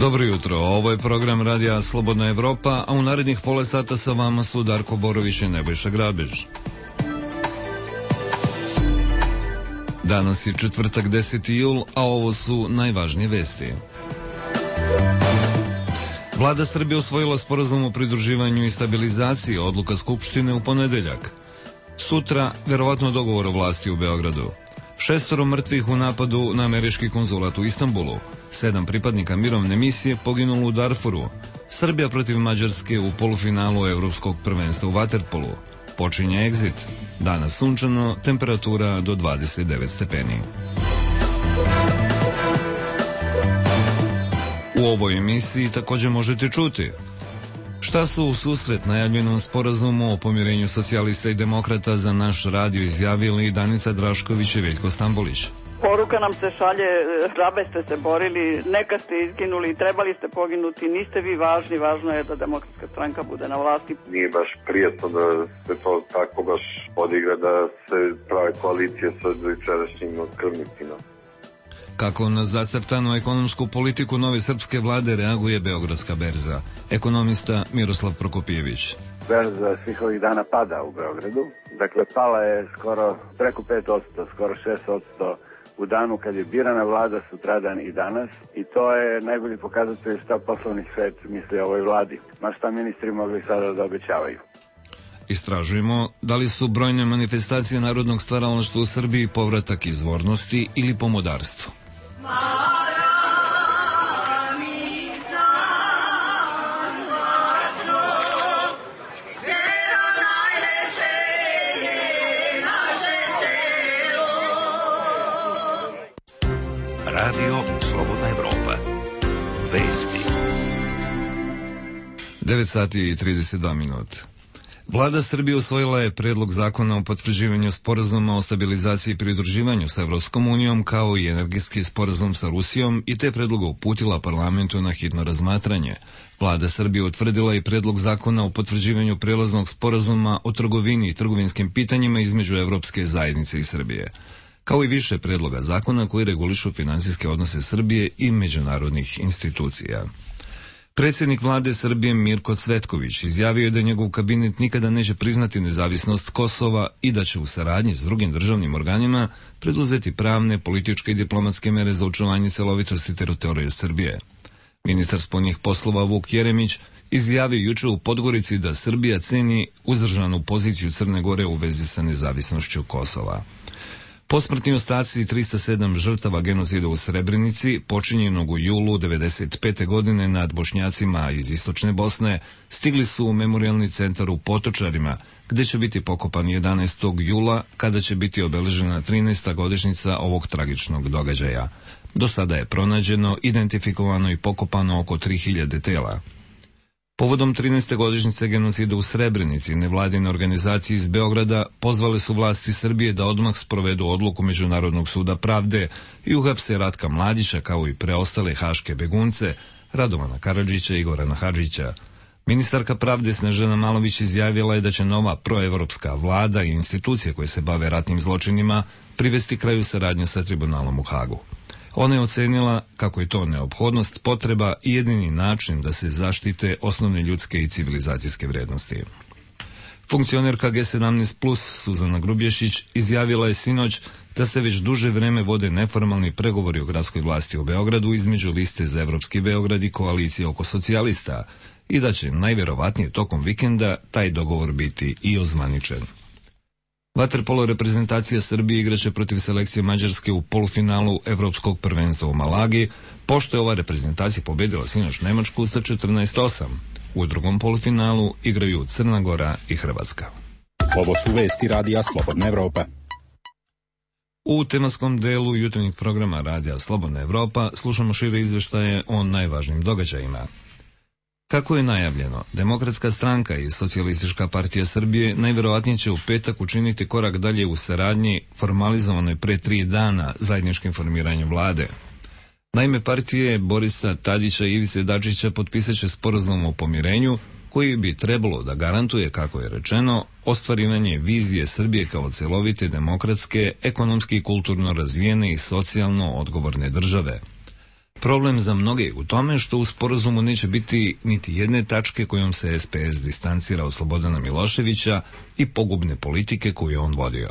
Dobro jutro, ovo je program Radija Slobodna Evropa, a u narednih pola sata sa vama su Darko Borović i Nebojša Grabež. Danas je četvrtak 10. jul, a ovo su najvažnije vesti. Vlada Srbije usvojila sporazum o pridruživanju i stabilizaciji, odluka Skupštine u ponedeljak. Sutra, verovatno dogovor o vlasti u Beogradu. 6 mrtvih u napadu na američki konzulat u Istanbulu. 7 pripadnika mirovne misije poginulo u Darfuru. Srbija protiv Mađarske u polufinalu Evropskog prvenstva u vaterpolu. Počinje egzit. Danas sunčano, temperatura do 29 stepeni. U ovoj emisiji također možete čuti šta su u susret najavljenom sporazumu o pomirenju socijalista i demokrata za naš radio izjavili Danica Drašković i Veljko Stambolić. Poruka nam se šalje, hrabre ste se borili, neka ste izginuli, trebali ste poginuti, niste vi važni, važno je da Demokratska stranka bude na vlasti. Nije baš prijetno da se to tako baš odigra, da se prave koalicije sa dojučerašnjim krvnicima. Kako na zacrtanu ekonomsku politiku nove srpske vlade reaguje Beogradska berza? Ekonomista Miroslav Prokopijević. Berza svih ovih dana pada u Beogradu. Dakle, pala je skoro preko 5%, skoro 6% u danu kad je birana vlada, sutradan i danas. I to je najbolji pokazatelj šta poslovni svet misli o ovoj vladi. Ma šta ministri mogli sada da obećavaju. Istražujemo da li su brojne manifestacije narodnog stvaralaštva u Srbiji povratak izvornosti ili pomodarstvo. Radio Slobodna Evropa. Vesti. 9 sati i 32 minuta. Vlada Srbije usvojila je predlog zakona o potvrđivanju sporazuma o stabilizaciji i pridruživanju sa Evropskom unijom kao i energetski sporazum sa Rusijom i te predloga uputila parlamentu na hitno razmatranje. Vlada Srbije utvrdila i predlog zakona o potvrđivanju prelaznog sporazuma o trgovini i trgovinskim pitanjima između Evropske zajednice i Srbije, kao i više predloga zakona koji regulišu finansijske odnose Srbije i međunarodnih institucija. Predsjednik vlade Srbije Mirko Cvetković izjavio je da njegov kabinet nikada neće priznati nezavisnost Kosova i da će u saradnji s drugim državnim organima preduzeti pravne, političke i diplomatske mere za očuvanje celovitosti teritorije Srbije. Ministar spoljnih poslova Vuk Jeremić izjavio juče u Podgorici da Srbija ceni uzdržanu poziciju Crne Gore u vezi sa nezavisnošću Kosova. Posmrtni ostaci 307 žrtava genocida u Srebrenici, počinjenog u julu 1995. godine nad Bošnjacima iz Istočne Bosne, stigli su u memorijalni centar u Potočarima, gde će biti pokopani 11. jula, kada će biti obeležena 13. godišnjica ovog tragičnog događaja. Do sada je pronađeno, identifikovano i pokopano oko 3000 tela. Povodom 13. godišnjice genocida u Srebrenici, nevladine organizacije iz Beograda pozvale su vlasti Srbije da odmah sprovedu odluku Međunarodnog suda pravde i uhapse Ratka Mladića kao i preostale haške begunce, Radovana Karadžića i Gorana Hadžića. Ministarka pravde Snežana Malović izjavila je da će nova proevropska vlada i institucije koje se bave ratnim zločinima privesti kraju saradnje sa tribunalom u Hagu. Ona je ocenila kako je to neophodnost, potreba i jedini način da se zaštite osnovne ljudske i civilizacijske vrednosti. Funkcionerka G17+, Suzana Grubješić, izjavila je sinoć da se već duže vreme vode neformalni pregovori o gradskoj vlasti u Beogradu između liste za Evropski Beograd i koalicije oko socijalista i da će najverovatnije tokom vikenda taj dogovor biti i ozvaničen. Vaterpolo reprezentacija Srbije igraće protiv selekcije Mađarske u polufinalu Evropskog prvenstva u Malagi, pošto je ova reprezentacija pobedila sinoć Nemačku sa 14:8. U drugom polufinalu igraju Crna Gora i Hrvatska. Ovo su vesti Radija Slobodna Evropa. U tematskom delu jutarnjeg programa Radija Slobodna Evropa slušamo šire izveštaje o najvažnijim događajima. Kako je najavljeno, Demokratska stranka i Socijalistička partija Srbije najverovatnije će u petak učiniti korak dalje u saradnji formalizovanoj pre 3 dana zajedničkim formiranjem vlade. Naime, partije Borisa Tadića i Ivice Dačića potpisat će sporazum o pomirenju koji bi trebalo da garantuje, kako je rečeno, ostvarivanje vizije Srbije kao celovite, demokratske, ekonomski i kulturno razvijene i socijalno odgovorne države. Problem za mnoge je u tome što u sporazumu neće biti niti jedne tačke kojom se SPS distancira od Slobodana Miloševića i pogubne politike koju je on vodio.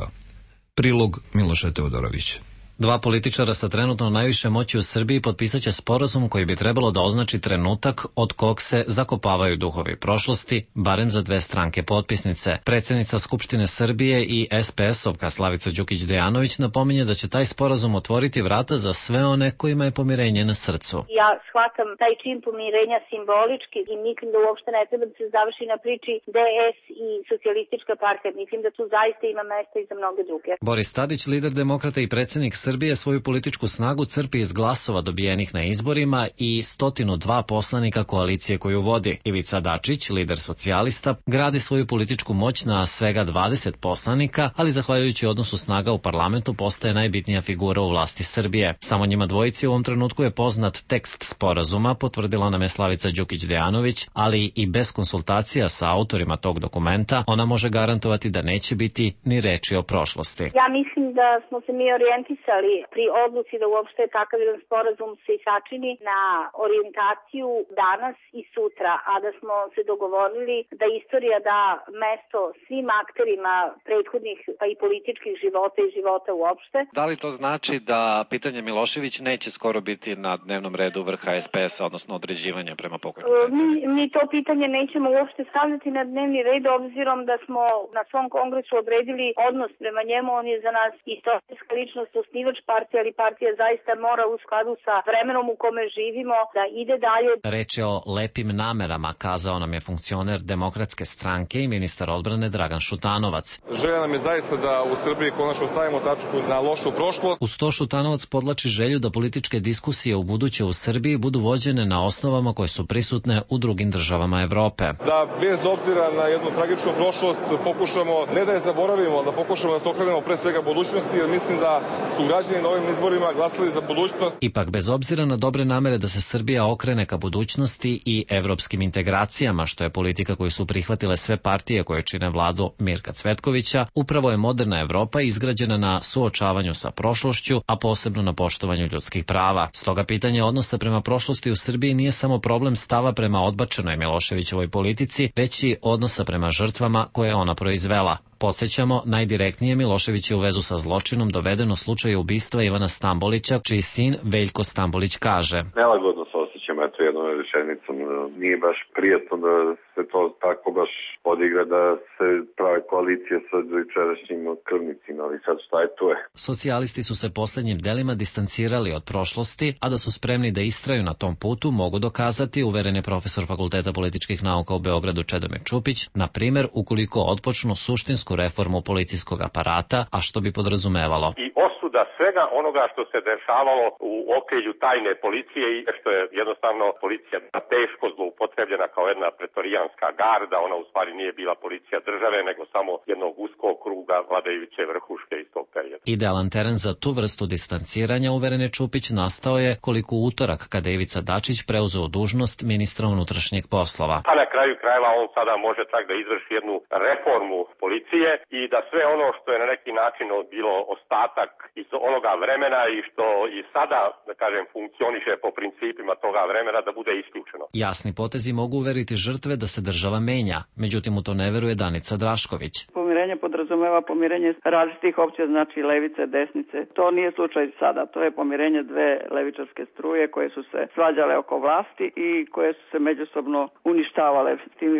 Prilog Miloša Teodorović. Dva političara sa trenutno najviše moći u Srbiji potpisat će sporazum koji bi trebalo da označi trenutak od kog se zakopavaju duhovi prošlosti, barem za dve stranke potpisnice. Predsjednica Skupštine Srbije i SPS-ovka Slavica Đukić Dejanović napominje da će taj sporazum otvoriti vrata za sve one kojima je pomirenje na srcu. Ja shvatam taj čin pomirenja simbolički i mislim da uopšte ne treba da se završi na priči DS i socijalistička partija. Mislim da tu zaista ima mesta i za mnoge druge. Boris Tadić, lider demokrata i predsjednik Srbije, svoju političku snagu crpi iz glasova dobijenih na izborima i 102 poslanika koalicije koju vodi. Ivica Dačić, lider socijalista, gradi svoju političku moć na svega 20 poslanika, ali zahvaljujući odnosu snaga u parlamentu postaje najbitnija figura u vlasti Srbije. Samo njima dvojici u ovom trenutku je poznat tekst sporazuma, potvrdila nam je Slavica Đukić Dejanović, ali i bez konsultacija sa autorima tog dokumenta ona može garantovati da neće biti ni reči o prošlosti. Ja mislim da smo se mi orijentisali pri odluci da uopšte takav jedan sporazum se sačini na orijentaciju danas i sutra, a da smo se dogovorili da istorija da mesto svim akterima prethodnih pa i političkih života i života uopšte. Da li to znači da pitanje Milošević neće skoro biti na dnevnom redu vrha SPS-a, odnosno određivanja prema pokojnom predsjedniku? Mi to pitanje nećemo uopšte stavljati na dnevni red, obzirom da smo na svom kongresu odredili odnos prema njemu. On je za nas istorijska ličnost, osnivač partije, ali partija zaista mora u skladu sa vremenom u kome živimo da ide dalje. Reč je o lepim namerama, kazao nam je funkcioner Demokratske stranke i ministar odbrane Dragan Šutanovac. Želja nam je zaista da u Srbiji konačno stavimo tačku na lošu prošlost. Uz to Šutanovac podlači želju da političke diskusije u buduće u Srbiji budu vođene na osnovama koje su prisutne u drugim državama Evrope. Da bez obzira na jednu tragičnu prošlost pokušamo, ne da je zaboravimo, da pokušamo da se okrenemo pre svega budućnosti, jer mislim da su građani na ovim izborima glasali za budućnost. Ipak, bez obzira na dobre namere da se Srbija okrene ka budućnosti i evropskim integracijama, što je politika koju su prihvatile sve partije koje čine vladu Mirka Cvetkovića, upravo je moderna Evropa izgrađena na suočavanju sa prošlošću, a posebno na poštovanju ljudskih prava. Stoga pitanje odnosa prema prošlosti u Srbiji nije samo problem stava prema odbačenoj Miloševićevoj politici, već i odnosa prema žrtvama koje je ona proizvela. Podsjećamo, najdirektnije Milošević je u vezu sa zločinom doveden u slučaju ubistva Ivana Stambolića, čiji sin Veljko Stambolić kaže: Nelagodno se osjećam, eto jednom rečenicom. Nije baš prijatno da se to tako baš odigra, da se prave koalicije sa jučerašnjim krvnicima, ali sad šta je to je. Socijalisti su se posljednjim delima distancirali od prošlosti, a da su spremni da istraju na tom putu mogu dokazati, uveren je profesor Fakulteta političkih nauka u Beogradu Čedomir Čupić, na primjer ukoliko otpočnu suštinsku reformu policijskog aparata, a što bi podrazumevalo i osuda svega onoga što se dešavalo u okrilju tajne policije i što je jednostavno policija teško zloupotrebljena kao jedna pretorijanska garda. Ona u stvari nije bila policija države, nego samo jednog uskog kruga vladajuće vrhuške iz tog perioda. Idealan teren za tu vrstu distanciranja, uveren je Čupić, nastao je koliko utorak kada je Ivica Dačić preuzeo dužnost ministra unutrašnjih poslova. A na kraju krajeva on sada može čak da izvrši jednu reformu policije i da sve ono što je na neki način bilo ostatak iz onoga vremena i što i sada, da kažem, funkcioniše po principima toga vremena, da bude isključeno. Jasni potezi mogu uveriti žrtve da se država menja, međutim u to ne veruje Danica Drašković. Pomirenje podrazumeva pomirenje različitih opcija, znači levice, desnice. To nije slučaj sada, to je pomirenje dve levičarske struje koje su se svađale oko vlasti i koje su se međusobno uništavale. S tim,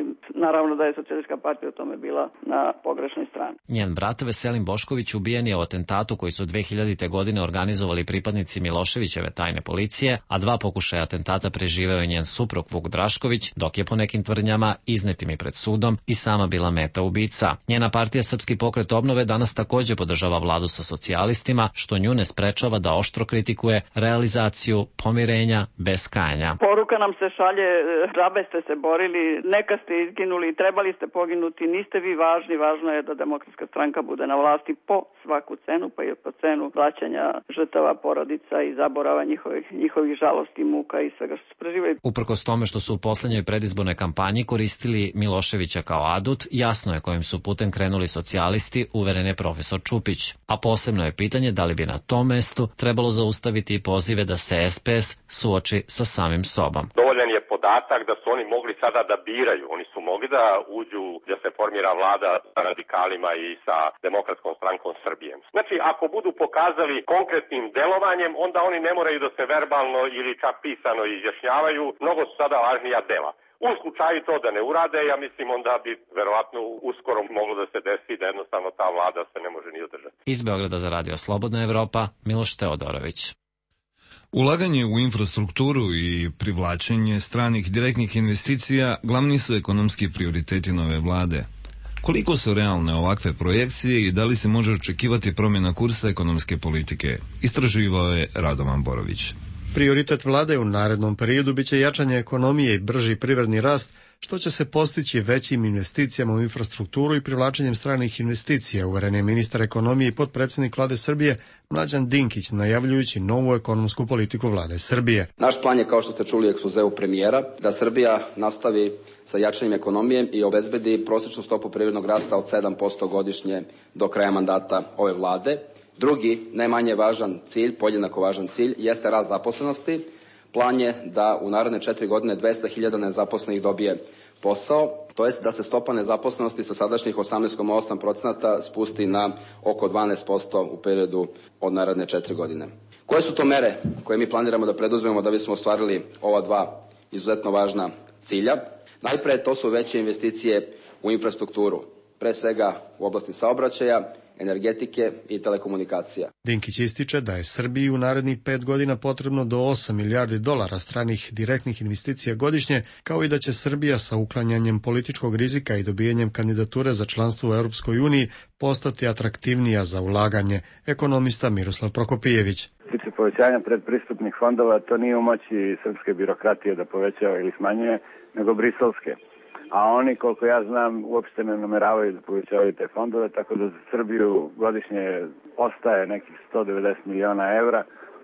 naravno da je Socijalistička partija u tome bila na pogrešnoj strani. Njen brat Veselin Bošković ubijen je u atentatu koji su 2000. godine organizovali pripadnici Miloševićeve tajne policije, a dva pokušaja atentata preživeo je njen suprug Vuk Drašković, dok je po nekim tvrdnjama iznetim i pred sudom i sama bila meta ubica. Njena partija Srpski pokret obnove danas također podržava vladu sa socijalistima, što nju ne sprečava da oštro kritikuje realizaciju pomirenja bez kajanja. Poruka nam se šalje, džabe ste se borili, neka ste izginuli, trebali ste poginuti, niste vi važni, važno je da Demokratska stranka bude na vlasti po svaku cenu, pa i po cenu plaćanja žrtava porodica i zaborava njihovih žalosti, muka i svega što su preživjeli. Uprkos tome što su u poslednjoj predizbornoj kampanji koristili Miloševića kao adut, jasno je kojim su putem krenuli socijalisti, uveren je profesor Čupić. A posebno je pitanje da li bi na tom mestu trebalo zaustaviti i pozive da se SPS suoči sa samim sobom. Dovoljan je podatak da su oni mogli sada da biraju. Oni su mogli da uđu da se formira vlada sa radikalima i sa Demokratskom strankom Srbije. Znači, ako budu pokazali konkretnim delovanjem, onda oni ne moraju da se verbalno ili čak pisano izjašnjavaju. Mnogo su sada važnija dela. U slučaju to da ne urade, ja mislim onda bi verovatno uskoro moglo da se desi da jednostavno ta vlada se ne može ni održati. Iz Beograda za Radio Slobodna Evropa, Miloš Teodorović. Ulaganje u infrastrukturu i privlačenje stranih direktnih investicija glavni su ekonomski prioriteti nove vlade. Koliko su realne ovakve projekcije i da li se može očekivati promjena kursa ekonomske politike? Istraživao je Radovan Borović. Prioritet vlade u narednom periodu biće jačanje ekonomije i brži privredni rast, što će se postići većim investicijama u infrastrukturu i privlačenjem stranih investicija, uveren je ministar ekonomije i potpredsjednik vlade Srbije Mlađan Dinkić, najavljujući novu ekonomsku politiku vlade Srbije. Naš plan je, kao što ste čuli u ekspozeu premijera, da Srbija nastavi sa jačanjem ekonomije i obezbedi prosječnu stopu privrednog rasta od 7% godišnje do kraja mandata ove vlade. Drugi, ne manje važan cilj, podjednako važan cilj, jeste rast zaposlenosti. Plan je da u naredne 4 godine 200.000 nezaposlenih dobije posao, to jest da se stopa nezaposlenosti sa sadašnjih 18,8% spusti na oko 12% u periodu od naredne 4 godine. Koje su to mere koje mi planiramo da preduzmemo da bismo ostvarili ova dva izuzetno važna cilja? Najpre, to su veće investicije u infrastrukturu, pre svega u oblasti saobraćaja, energetike i telekomunikacija. Dinkić ističe da je Srbiji u narednih 5 godina potrebno do 8 milijardi dolara stranih direktnih investicija godišnje, kao i da će Srbija sa uklanjanjem političkog rizika i dobijanjem kandidature za članstvo u Europskoj uniji postati atraktivnija za ulaganje. Ekonomista Miroslav Prokopijević. Tiče povećanja predpristupnih fondova, to nije u moći srpske birokratije da povećava ili smanjuje, nego briselske. A oni, koliko ja znam, uopšte ne nameravaju da povećavaju te fondove, tako da za Srbiju godišnje ostaje nekih 190 miliona evra,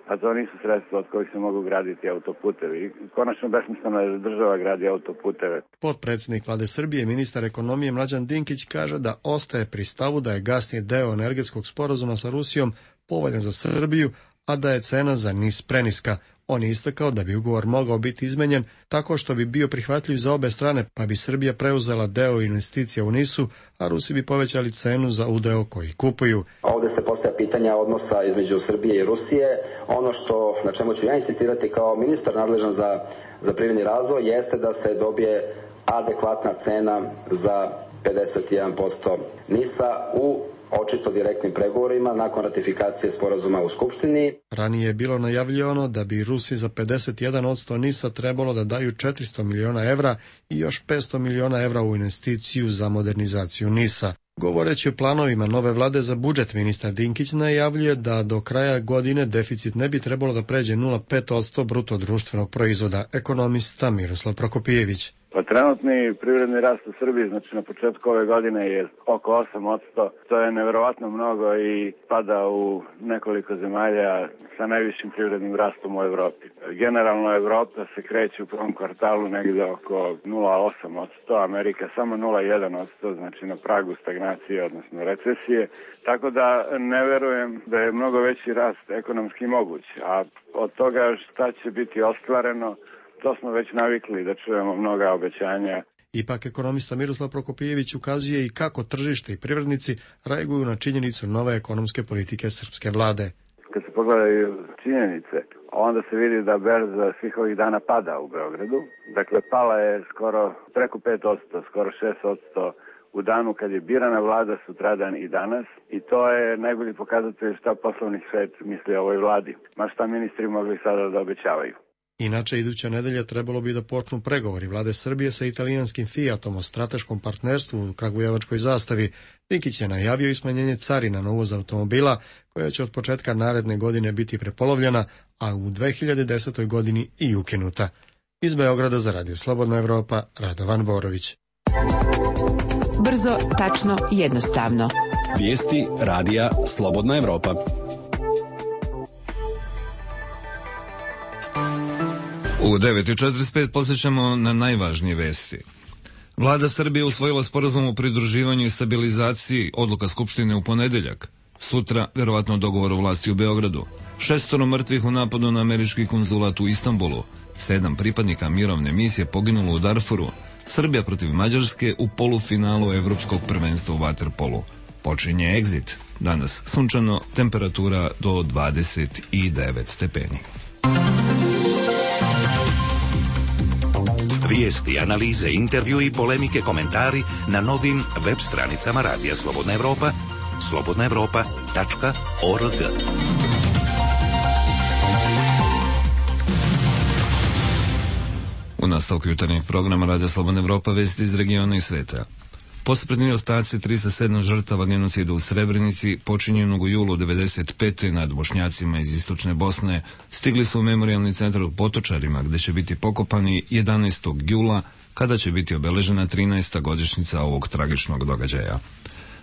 a to nisu sredstva od kojih se mogu graditi autoputevi. Konačno besmisleno je da država gradi autoputeve. Potpredsjednik vlade Srbije, ministar ekonomije Mlađan Dinkić kaže da ostaje pri stavu da je gasni deo energetskog sporazuma sa Rusijom povoljan za Srbiju, a da je cena za NIS preniska. On je istakao da bi ugovor mogao biti izmenjen tako što bi bio prihvatljiv za obe strane, pa bi Srbija preuzela deo investicija u NIS-u, a Rusi bi povećali cenu za udeo koji kupuju. Ovde se postavlja pitanja odnosa između Srbije i Rusije. Ono što, na čemu ću ja insistirati kao ministar nadležan za privredni razvoj, jeste da se dobije adekvatna cena za 51% NIS-a u očito direktnim pregovorima nakon ratifikacije sporazuma u Skupštini. Ranije je bilo najavljivano da bi Rusi za 51% NIS-a trebalo da daju 400 miliona evra i još 500 miliona evra u investiciju za modernizaciju NIS-a. Govoreći o planovima nove vlade za budžet, ministar Dinkić najavljuje da do kraja godine deficit ne bi trebalo da pređe 0,5% bruto društvenog proizvoda. Ekonomista Miroslav Prokopijević. Pa trenutni privredni rast u Srbiji, znači na početku ove godine je oko 8%, to je neverovatno mnogo i pada u nekoliko zemalja sa najvišim privrednim rastom u Evropi. Generalno Evropa se kreće u prvom kvartalu negde oko 0,8%, Amerika samo 0,1%, znači na pragu stagnacije, odnosno recesije, tako da ne verujem da je mnogo veći rast ekonomski moguć, a od toga šta će biti ostvareno, to smo već navikli da čujemo mnoga obećanja. Ipak ekonomista Miroslav Prokopijević ukazuje i kako tržište i privrednici reaguju na činjenicu nove ekonomske politike srpske vlade. Kad se pogledaju činjenice, onda se vidi da berza svih ovih dana pada u Beogradu. Dakle, pala je skoro preko 5%, skoro 6% u danu kad je birana vlada, sutradan i danas. I to je najbolji pokazatelj šta poslovni svet misli o ovoj vladi. Ma šta ministri mogli sada da obećavaju. Inače, iduća nedelja trebalo bi da počnu pregovori vlade Srbije sa italijanskim Fiatom o strateškom partnerstvu u kragujevačkoj zastavi. Dinkić je najavio i smanjenje carina na uvoz automobila, koja će od početka naredne godine biti prepolovljena, a u 2010. godini i ukinuta. Iz Beograda za Radio Slobodna Evropa, Radovan Borović. Brzo, tačno, jednostavno. Vijesti Radija Slobodna Evropa. U 9:45 posjećamo na najvažnije vesti. Vlada Srbije usvojila sporazum o pridruživanju i stabilizaciji, odluka Skupštine u ponedeljak. Sutra, verovatno dogovor o vlasti u Beogradu. 6 mrtvih u napadu na američki konzulat u Istanbulu. 7 pripadnika mirovne misije poginulo u Darfuru. Srbija protiv Mađarske u polufinalu Evropskog prvenstva u vaterpolu. Počinje egzit. Danas sunčano, temperatura do 29 stepeni. Vijesti, analize, intervju i polemike, komentari na novim web stranicama Radija Slobodna Evropa, slobodnaevropa.org. U nastavku jutarnjeg programa Radija Slobodna Evropa, vesti iz regiona i sveta. Posmrtni ostaci 307 žrtava genocida u Srebrenici, počinjenog u julu 1995. nad Bošnjacima iz istočne Bosne, stigli su u memorijalni centar u Potočarima, gde će biti pokopani 11. jula, kada će biti obeležena 13. godišnjica ovog tragičnog događaja.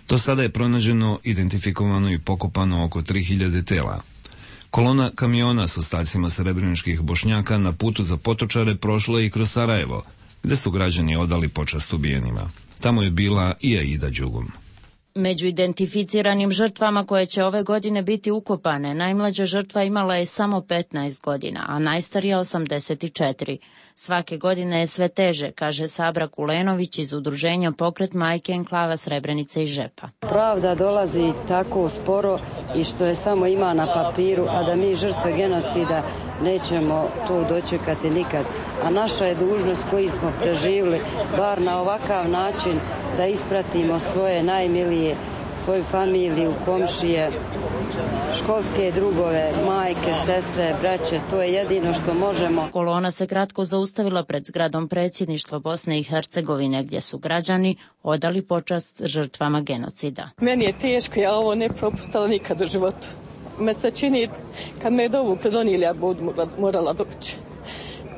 Do sada je pronađeno, identifikovano i pokopano oko 3000 tela. Kolona kamiona s ostacima srebreničkih Bošnjaka na putu za Potočare prošla i kroz Sarajevo, gde su građani odali počast ubijenima. Tamo je bila i Aida Đugum. Među identificiranim žrtvama koje će ove godine biti ukopane, najmlađa žrtva imala je samo 15 godina, a najstarija 84. Svake godine je sve teže, kaže Sabra Kulenović iz udruženja Pokret majke enklava Srebrenice i Žepa. Pravda dolazi tako sporo i što je samo ima na papiru, a da mi žrtve genocida nećemo to dočekati nikad. A naša je dužnost koji smo preživjeli, bar na ovakav način, da ispratimo svoje najmilije, svoju familiju, komšije, školske drugove, majke, sestre, braće, to je jedino što možemo. Kolona se kratko zaustavila pred zgradom predsjedništva Bosne i Hercegovine, gdje su građani odali počast žrtvama genocida. Meni je teško, ja ovo ne propustila nikad u životu. Me se čini, kad me je dovukli donijeli, ja budu morala doći.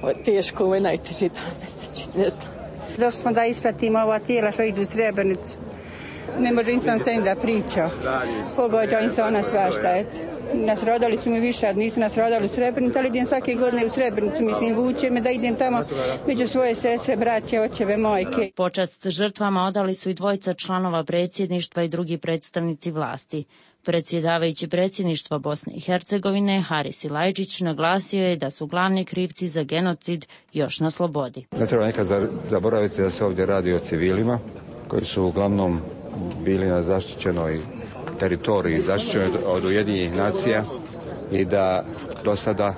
Ovo je teško, ovo je najteži dan, me se čini, ne znam. Došli smo da ispratimo ova tijela što idu u Srebrenicu. Ne može insan sa njim da priča. Pogađa im se ona svašta. Nas rodali su mi više, nisu nas rodali u Srebrenicu, ali idem svake godine u Srebrenicu, mislim, vuče me da idem tamo među svoje sestre, braće, očeve, majke. Počast žrtvama odali su i dvojica članova predsjedništva i drugi predstavnici vlasti. Predsjedavajući predsjedništva Bosne i Hercegovine, Haris Ilajđić, naglasio je da su glavni krivci za genocid još na slobodi. Ne treba nekad zaboraviti da se ovdje radi o civilima koji su uglavnom bili na zaštićenoj teritoriji, zaštićenoj od Ujedinjenih nacija i da do sada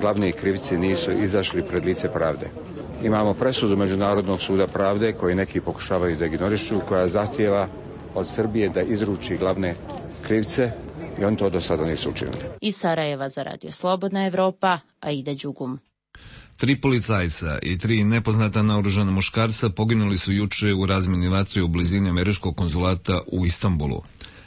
glavni krivci nisu izašli pred lice pravde. Imamo presudu Međunarodnog suda pravde koji neki pokušavaju da ignorišu, koja zahtijeva od Srbije da izruči glavne krivce i oni to do sada nisu učinili. Iz Sarajeva za Radio Slobodna Evropa, Aida Đugum. 3 policajca i 3 nepoznata naoružana muškarca poginuli su juče u razmjeni vatre u blizini američkog konzulata u Istanbulu.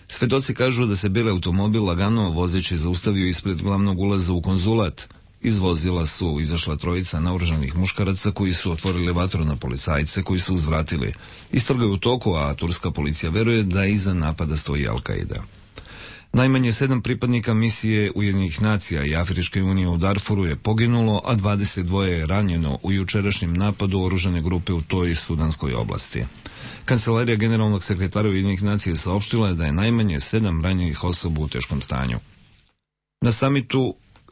Svedoci kažu da se beli automobil lagano vozeći zaustavio ispred glavnog ulaza u konzulat. Iz vozila su izašla trojica naoružanih muškaraca koji su otvorili vatru na policajce koji su uzvratili. Istraga je u toku, a turska policija veruje da iza napada stoji Al-Qaida. Najmanje 7 pripadnika misije Ujedinjenih nacija i Afričke unije u Darfuru je poginulo, a 22 je ranjeno u jučerašnjem napadu oružane grupe u toj sudanskoj oblasti. Kancelarija generalnog sekretara Ujedinjenih nacija saopštila je da je najmanje 7 ranjenih osoba u teškom stanju.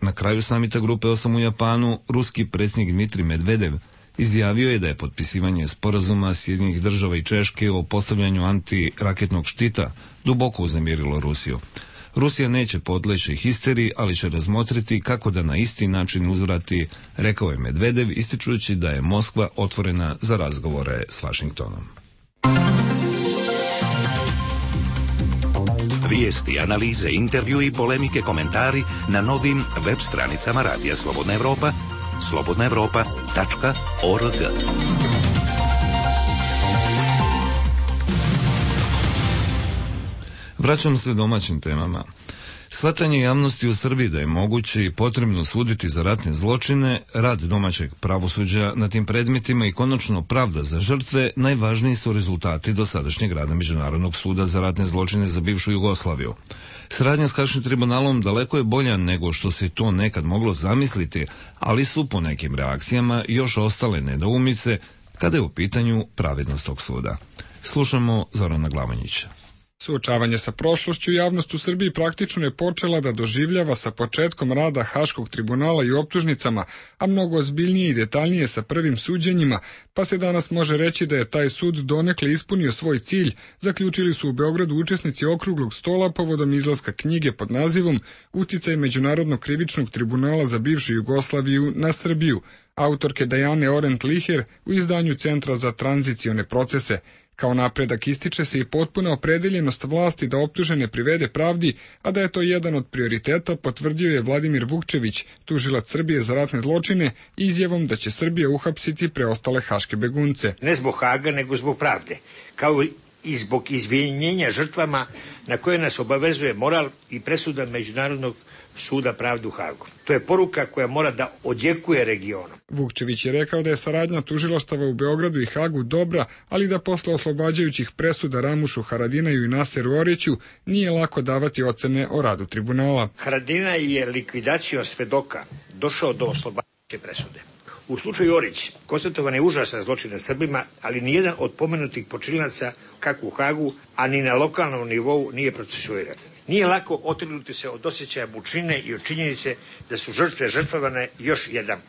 Na kraju samita grupe 8 u Japanu, ruski predsjednik Dmitrij Medvedev izjavio je da je potpisivanje sporazuma Sjedinjenih država i Češke o postavljanju antiraketnog štita duboko uznemirilo Rusiju. Rusija neće podleći histeriji, ali će razmotriti kako da na isti način uzvrati, rekao je Medvedev, ističujući da je Moskva otvorena za razgovore s Vašingtonom. Vijesti, analize, intervju i polemike, komentari na novim web stranicama Radija Slobodna Evropa, slobodnaevropa.org. Vraćam se domaćim temama. Shvatanje javnosti u Srbiji da je moguće i potrebno suditi za ratne zločine, rad domaćeg pravosuđa na tim predmetima i konačno pravda za žrtve najvažniji su rezultati dosadašnjeg rada Međunarodnog suda za ratne zločine za bivšu Jugoslaviju. Saradnja s Haškim tribunalom daleko je bolja nego što se to nekad moglo zamisliti, ali su po nekim reakcijama još ostale nedoumice kada je u pitanju pravednost tog suda. Slušamo Zorana Glavonjića. Suočavanje sa prošlošću javnost u Srbiji praktično je počela da doživljava sa početkom rada Haškog tribunala i optužnicama, a mnogo ozbiljnije i detaljnije sa prvim suđenjima, pa se danas može reći da je taj sud donekle ispunio svoj cilj, zaključili su u Beogradu učesnici okruglog stola povodom izlaska knjige pod nazivom Uticaj Međunarodnog krivičnog tribunala za bivšu Jugoslaviju na Srbiju, autorke Dajane Orent-Liher u izdanju Centra za tranzicione procese. Kao napredak ističe se i potpuna opredeljenost vlasti da optužene privede pravdi, a da je to jedan od prioriteta potvrdio je Vladimir Vukčević, tužilac Srbije za ratne zločine, izjavom da će Srbija uhapsiti preostale haške begunce. Ne zbog Haga, nego zbog pravde, kao i zbog izvinjenja žrtvama na koje nas obavezuje moral i presuda Međunarodnog suda pravde u Hagu. To je poruka koja mora da odjekuje regionom. Vukčević je rekao da je saradnja tužilaštava u Beogradu i Hagu dobra, ali da posle oslobađajućih presuda Ramušu Haradinaju i Naseru Oriću nije lako davati ocene o radu tribunala. Haradinaj je likvidacijom svedoka došao do oslobađajuće presude. U slučaju Orić konstatovan je užasan zločin nad Srbima, ali nijedan od pomenutih počinilaca kako u Hagu, a ni na lokalnom nivou nije procesuiran. Nije lako otrgnuti se od osjećaja mučnine i od činjenice da su žrtve žrtvovane još jedan.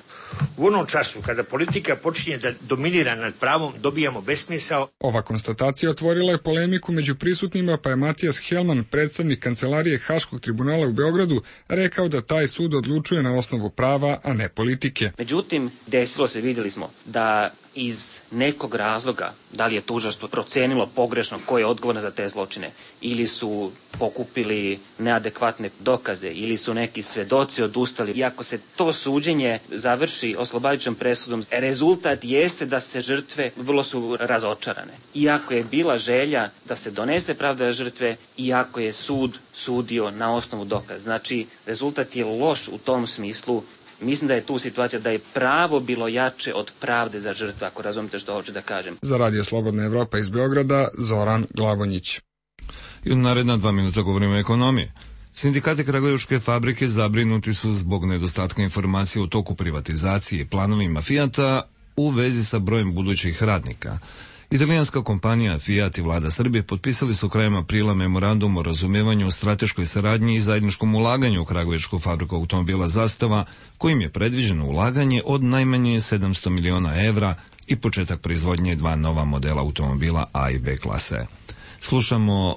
U onom času kada politika počinje da dominira nad pravom, dobijamo besmisao. Ova konstatacija otvorila je polemiku među prisutnima, pa je Matijas Helman, predstavnik kancelarije Haškog tribunala u Beogradu, rekao da taj sud odlučuje na osnovu prava, a ne politike. Međutim, desilo se, vidjeli smo, da iz nekog razloga, da li je tužilaštvo procenilo pogrešno ko je odgovoran za te zločine, ili su pokupili neadekvatne dokaze, ili su neki svedoci odustali. I ako se to suđenje završi oslobađajućom presudom, rezultat jeste da se žrtve vrlo su razočarane. Iako je bila želja da se donese pravda žrtve, iako je sud sudio na osnovu dokaza. Znači, rezultat je loš u tom smislu. Mislim da je tu situacija da je pravo bilo jače od pravde za žrtve, ako razumite što hoću da kažem. Za Radio Slobodna Evropa iz Beograda, Zoran Glavonjić. I u naredna 2 minuta govorimo o ekonomiji. Sindikati kragujevačke fabrike zabrinuti su zbog nedostatka informacija u toku privatizacije i planovima Fijata u vezi sa brojem budućih radnika. Italijanska kompanija Fiat i vlada Srbije potpisali su krajem aprila memorandum o razumevanju o strateškoj saradnji i zajedničkom ulaganju u kragujevačku fabriku automobila Zastava, kojim je predviđeno ulaganje od najmanje 700 miliona evra i početak proizvodnje 2 nova modela automobila A i B klase. Slušamo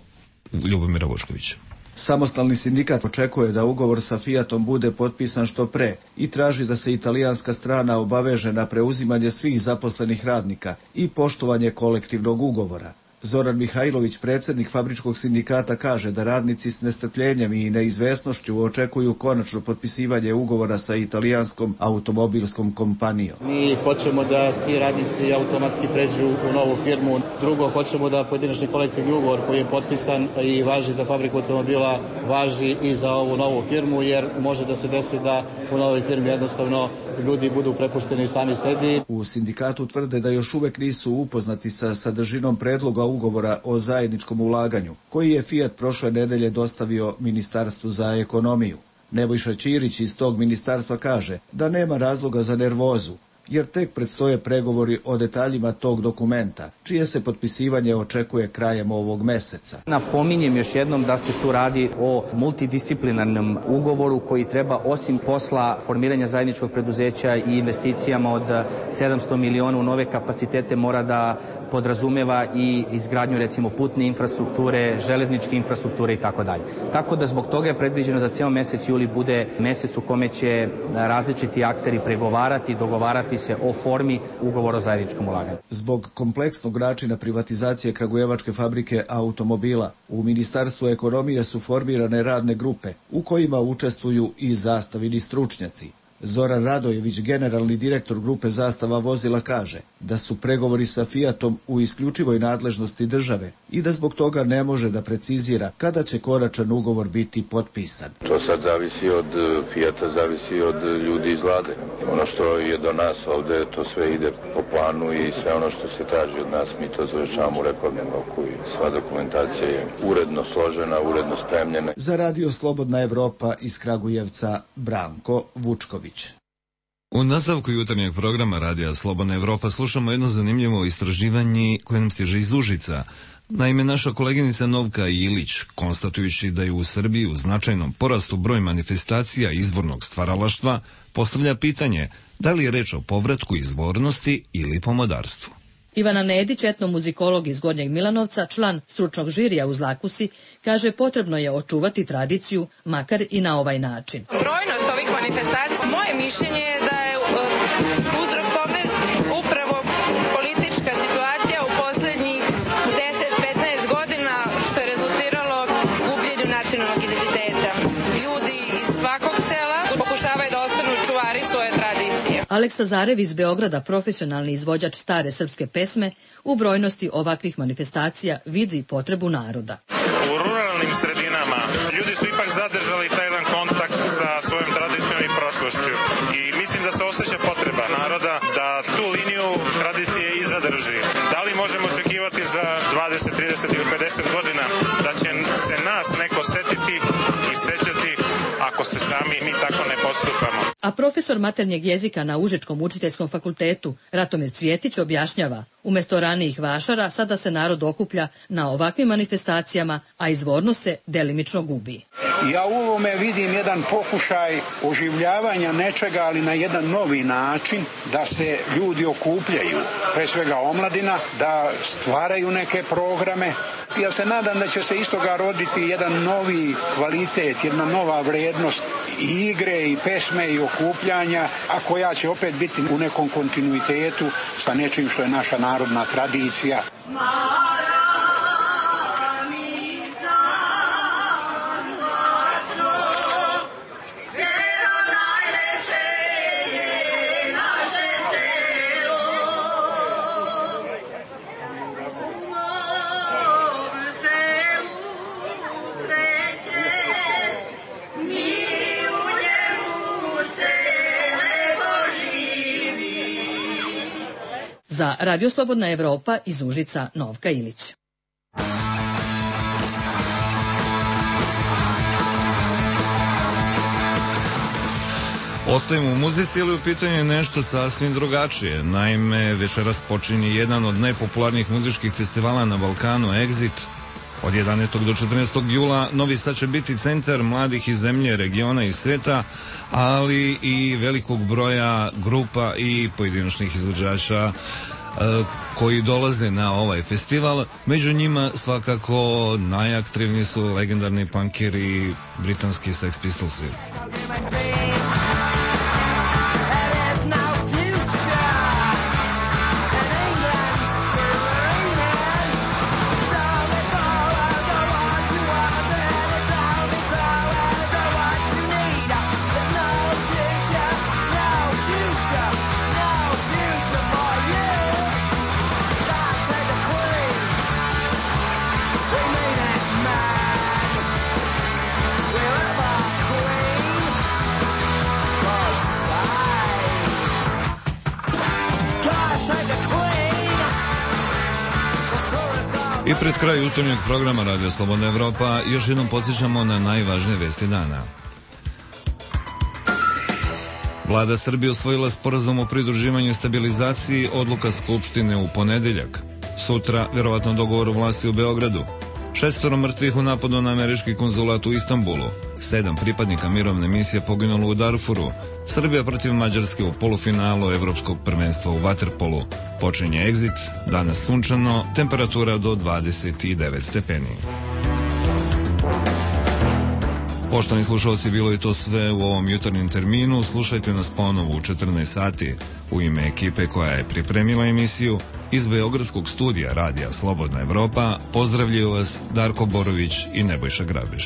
Ljubomira Vučkovića. Samostalni sindikat očekuje da ugovor sa Fiatom bude potpisan što pre i traži da se italijanska strana obaveže na preuzimanje svih zaposlenih radnika i poštovanje kolektivnog ugovora. Zoran Mihajlović, predsjednik fabričkog sindikata, kaže da radnici s nestrpljenjem i neizvesnošću očekuju konačno potpisivanje ugovora sa italijanskom automobilskom kompanijom. Mi hoćemo da svi radnici automatski pređu u novu firmu. Drugo, hoćemo da pojedinačni kolektivni ugovor koji je potpisan i važi za fabriku automobila, važi i za ovu novu firmu, jer može da se desi da u novoj firmi jednostavno ljudi budu prepušteni sami sebi. U sindikatu tvrde da još uvek nisu upoznati sa sadržinom predloga ugovora o zajedničkom ulaganju, koji je Fiat prošle nedelje dostavio Ministarstvu za ekonomiju. Nebojša Ćirić iz tog ministarstva kaže da nema razloga za nervozu, jer tek predstoje pregovori o detaljima tog dokumenta, čije se potpisivanje očekuje krajem ovog meseca. Napominjem još jednom da se tu radi o multidisciplinarnom ugovoru koji treba, osim posla formiranja zajedničkog preduzeća i investicijama od 700 miliona u nove kapacitete, mora da podrazumeva i izgradnju recimo putne infrastrukture, železničke infrastrukture i tako dalje. Tako da zbog toga je predviđeno da ceo mesec juli bude mesec u kome će različiti akteri pregovarati, dogovarati se o formi ugovora o zajedničkom ulaganju. Zbog kompleksnog načina privatizacije kragujevačke fabrike automobila, u Ministarstvu ekonomije su formirane radne grupe u kojima učestvuju i zastavini stručnjaci. Zoran Radojević, generalni direktor grupe Zastava vozila, kaže da su pregovori sa Fiatom u isključivoj nadležnosti države i da zbog toga ne može da precizira kada će konačan ugovor biti potpisan. To sad zavisi od Fiata, zavisi od ljudi iz vlade. Ono što je do nas ovde, to sve ide po planu i sve ono što se traži od nas, mi to završavamo u rekordnom roku i sva dokumentacija je uredno složena, uredno spremljena. Za Radio Slobodna Evropa iz Kragujevca, Branko Vučković. U nastavku jutarnjeg programa Radija Slobodna Evropa slušamo jedno zanimljivo istraživanje koje nam stiže iz Užica. Naime, naša koleginica Novka Ilić, konstatujući da je u Srbiji u značajnom porastu broj manifestacija izvornog stvaralaštva, postavlja pitanje da li je reč o povratku izvornosti ili pomodarstvu. Ivana Nedić, etnomuzikolog iz Gornjeg Milanovca, član stručnog žirija u Zlakusi, kaže potrebno je očuvati tradiciju, makar i na ovaj način. Brojnost ovih manifestacija, moje mišljenje je da je uzrok tome upravo politička situacija u poslednjih 10-15 godina, što je rezultiralo gubljenju nacionalnog identiteta. Ljudi iz svakog sela pokušavaju da ostanu čuvari svoje tradicije. Aleksa Zarev iz Beograda, profesionalni izvođač stare srpske pesme, u brojnosti ovakvih manifestacija vidi potrebu naroda. U ruralnim sredinama ljudi su ipak zadržali taj jedan kontakt sa svojom tradicijom i prošlošću i mislim da se osjeća potreba naroda da tu liniju tradicije i zadrži. Da li možemo očekivati za 20, 30 ili 50 godina da će se nas neko setiti i sećati ako se sami mi tako ne postupamo? A profesor maternjeg jezika na Užičkom učiteljskom fakultetu Ratomir Cvjetić objašnjava, umjesto ranijih vašara sada se narod okuplja na ovakvim manifestacijama, a izvornost se delimično gubi. Ja u ovome vidim jedan pokušaj oživljavanja nečega, ali na jedan novi način, da se ljudi okupljaju, pre svega omladina, da stvaraju neke programe. Ja se nadam da će se iz toga roditi jedan novi kvalitet, jedna nova vrednost i igre i pesme i okupljanja, a koja će opet biti u nekom kontinuitetu sa nečim što je naša narodna tradicija. Za Radio Slobodna Evropa iz Užica, Novka Ilić. Ostajemo u muzici, ali u pitanju je nešto sasvim drugačije. Naime, večeras počinje jedan od najpopularnijih muzičkih festivala na Balkanu, Exit. Od 11. do 14. jula Novi Sad će biti centar mladih iz zemlje, regiona i sveta, ali i velikog broja grupa i pojedinačnih izvođača koji dolaze na ovaj festival. Među njima svakako najaktivniji su legendarni punkeri, britanski Sex Pistolsi. I pred kraj jutarnjeg programa Radio Slobodna Evropa još jednom podsjećamo na najvažnije vesti dana. Vlada Srbije usvojila sporazum o pridruživanju i stabilizaciji, odluka Skupštine u ponedeljak. Sutra, verovatno dogovor vlasti u Beogradu. 6 mrtvih u napadu na američki konzulat u Istanbulu. 7 pripadnika mirovne misije poginulo u Darfuru. Srbija protiv Mađarske u polufinalu Evropskog prvenstva u vaterpolu. Počinje Exit, danas sunčano, temperatura do 29 stepeni. Poštovani slušalci, bilo je to sve u ovom jutarnjem terminu. Slušajte nas ponovo u 14 sati. U ime ekipe koja je pripremila emisiju, iz Beogradskog studija Radija Slobodna Evropa pozdravljaju vas Darko Borović i Nebojša Grabež.